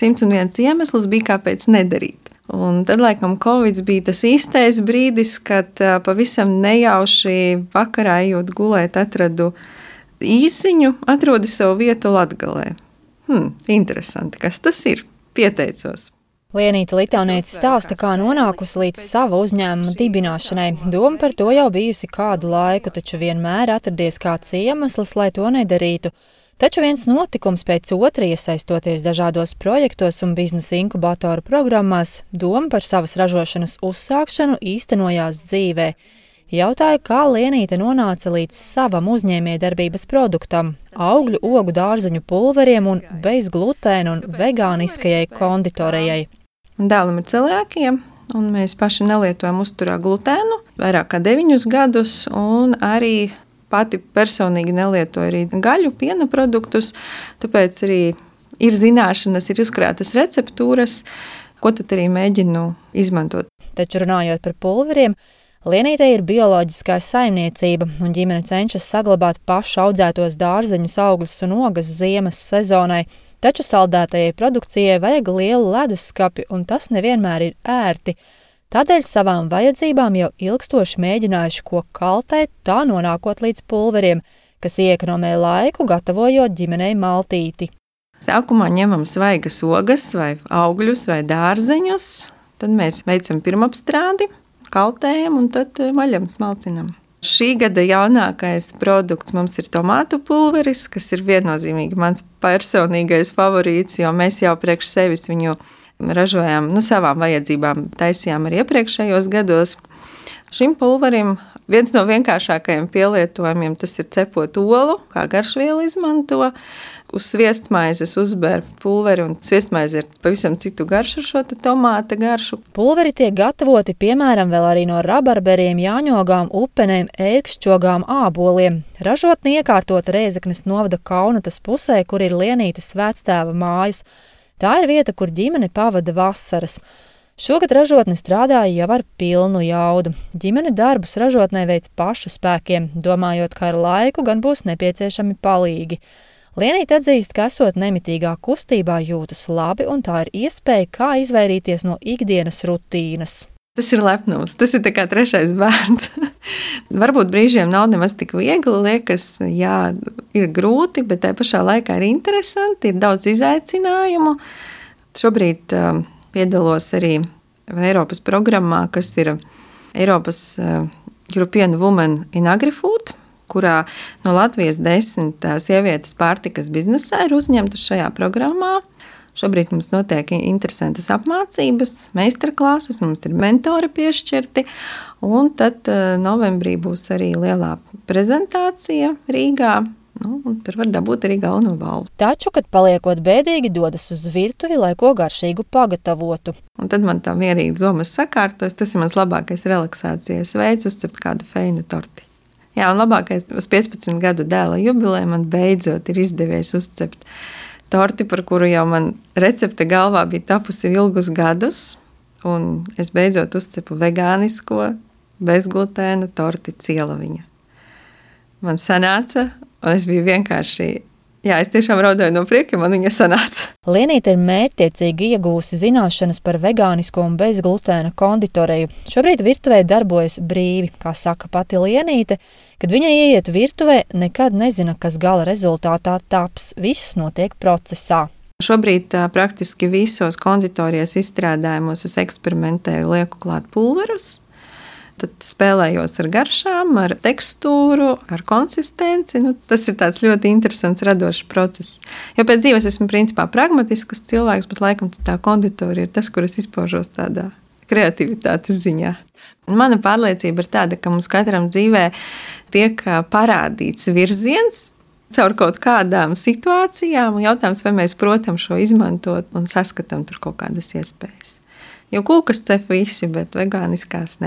101 iemesls bija, kāpēc nedarīt. Un tad, laikam, Covid bija tas īstais brīdis, kad pavisam nejauši vakarā ejot gulēt, atradu īsiņu, atrodi savu vietu Latgalē. Interesanti, kas tas ir? Pieteicos. Lienīte Litauniece stāsta, kā nonākusi līdz sava uzņēmuma dibināšanai. Doma par to jau bijusi kādu laiku, taču vienmēr atradies kāds iemesls, lai to nedarītu. Taču viens notikums pēc otra, iesaistoties dažādos projektos un biznesa inkubatoru programmās, doma par savas ražošanas uzsākšanu īstenojās dzīvē. Jautāju, kā Lienīte nonāca līdz savam uzņēmējdarbības produktam – augļu, ogu, dārzeņu pulveriem un bezglutēna un vegāniskajai konditorejai. Dēlam ir celiākija, un mēs paši nelietojam uzturā glutēnu vairāk kā 9 gadus, un arī pati personīgi nelietoju arī gaļu, piena produktus, tāpēc arī ir zināšanas, ir uzkrātas receptūras, ko tad arī mēģinu izmantot. Taču runājot par pulveriem, Lienītei ir bioloģiskā saimniecība, un ģimene cenšas saglabāt pašu audzētos dārzeņus, augļus un ogas ziemas sezonai, taču saldētajai produkcijai vajag lielu leduskapi, un tas nevienmēr ir ērti. Tādēļ savām vajadzībām jau ilgstoši mēģinājuši ko kaltēt, tā nonākot līdz pulveriem, kas iekonomē laiku, gatavojot ģimenei maltīti. Sākumā ņemam svaigas ogas vai augļus vai dārzeņus, tad mēs veicam pirmapstrādi, kaltējam un tad maļam, smalcinam. Šī gada jaunākais produkts mums ir tomātu pulveris, kas ir viennozīmīgi mans personīgais favorīts, jo mēs jau priekš sevis viņu ražojām, savām vajadzībām taisījām arī iepriekšējos gados. Šim pulverim viens no vienkāršākajiem pielietojumiem tas ir cepot olu, kā garšvielu izmanto. Uz sviestmaizes uzber pulveri, un sviestmaize ir pavisam citu garšu ar šo tomāta garšu. Pulveri tiek gatavoti, piemēram, vēl arī no rabarberiem, jāņogām, upenēm, ērkšķogām, āboliem. Ražotne iekārtota Rēzeknes novada Kaunatas pusē, kur ir Lienītes vectēva mājas. Tā ir vieta, kur ģimene pavada vasaras. Šogad ražotne strādāja jau ar pilnu jaudu. Ģimene darbus ražotnē veic pašu spēkiem, domājot, ka ar laiku gan būs nepieciešami palīgi. Lienīte atzīst, ka esot nemitīgā kustībā jūtas labi, un tā ir iespēja, kā izvairīties no ikdienas rutīnas. Tas ir lepnums, tas ir tā kā trešais bērns. Varbūt brīžiem nav nemaz tik viegli, liekas, jā, ir grūti, bet tā pašā laikā ir interesanti, ir daudz izaicinājumu. Šobrīd piedalos arī Eiropas programmā, kas ir Eiropas European Women in Agri-Food, kurā no Latvijas 10 sievietes pārtikas biznesā ir uzņemtas šajā programmā. Šobrīd mums notiek interesantas apmācības, meistarklases, mums ir mentori piešķirti, un tad novembrī būs arī lielā prezentācija Rīgā. Un tur var dabūt arī galveno balvu. Taču, kad paliekot bēdīgi, dodas uz virtuvi, lai ko garšīgu pagatavotu. Un tad man tā mierīgi domas sakārtos, tas ir mans labākais relaksācijas veids, uzcept kādu feinu torti. Jā, un labākais uz 15 gadu dēla jubilē man beidzot ir izdevies uzcept torti, par kuru jau man recepte galvā bija tapusi ilgus gadus, un es beidzot uzcepu vegānisko, bezglutēna torti Cielaviņa. Man sanāca, un es biju vienkārši, es tiešām raudāju no prieka, man viņa sanāca. Lienīte ir mērķtiecīgi iegūsi zināšanas par vegānisko un bezglutēna konditoreju. Šobrīd virtuvē darbojas brīvi, kā saka pati Lienīte. Kad viņa ieiet virtuvē, nekad nezina, kas gala rezultātā taps. Viss notiek procesā. Šobrīd praktiski visos konditorijas izstrādājumos es eksperimentēju, lieku klāt pulverus. Tad spēlējos ar garšām, ar tekstūru, ar konsistenci. Tas ir tāds ļoti interesants, radošs process. Jo pēc dzīves esmu principā pragmatisks cilvēks, bet laikam tā konditorija ir tas, kur es izpaužos tādā kreativitātes ziņā. Mana pārliecība ir tāda, ka mums katram dzīvē tiek parādīts virziens caur kaut kādām situācijām, un jautājums, vai mēs protam šo izmantot un saskatām tur kaut kādas iespējas. Jo kūkas cep visi, bet vegāniskās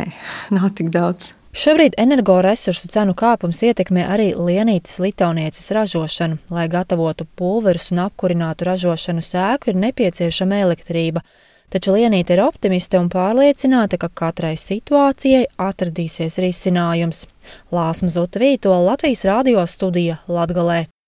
nav tik daudz. Šobrīd energoresursu cenu kāpums ietekmē arī Lienītes Litaunieces ražošanu. Lai gatavotu pulverus un apkurinātu ražošanas ēku, ir nepieciešama elektrība. Taču Lienīte ir optimiste un pārliecināta, ka katrai situācijai atradīsies risinājums. Lāsma Zutavītola, Latvijas radio studija Latgalē.